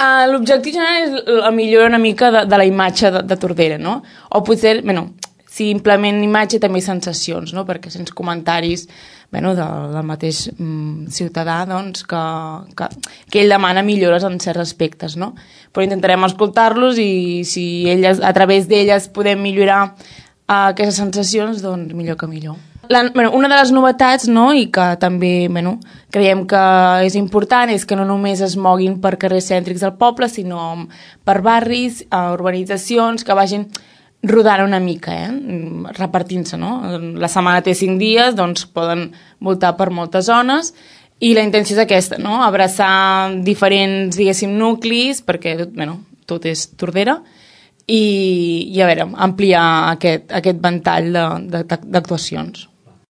L'objectiu general és la millora una mica de la imatge de Tordera, no? O potser, simplement imatge també sensacions, no? Perquè sense comentaris del mateix ciutadà doncs, que ell demana millores en certs aspectes, no? Però intentarem escoltar-los i si a través d'elles podem millorar aquestes sensacions, doncs millor que millor. Una de les novetats, no, i que també creiem que és important, és que no només es moguin per carrers cèntrics del poble, sinó per barris, urbanitzacions, que vagin rodant una mica, repartint-se, no? La setmana té 5 dies, doncs poden voltar per moltes zones, i la intenció és aquesta, no? Abraçar diferents, diguéssim, nuclis, perquè, tot és Tordera, i a veure, ampliar aquest ventall d'actuacions.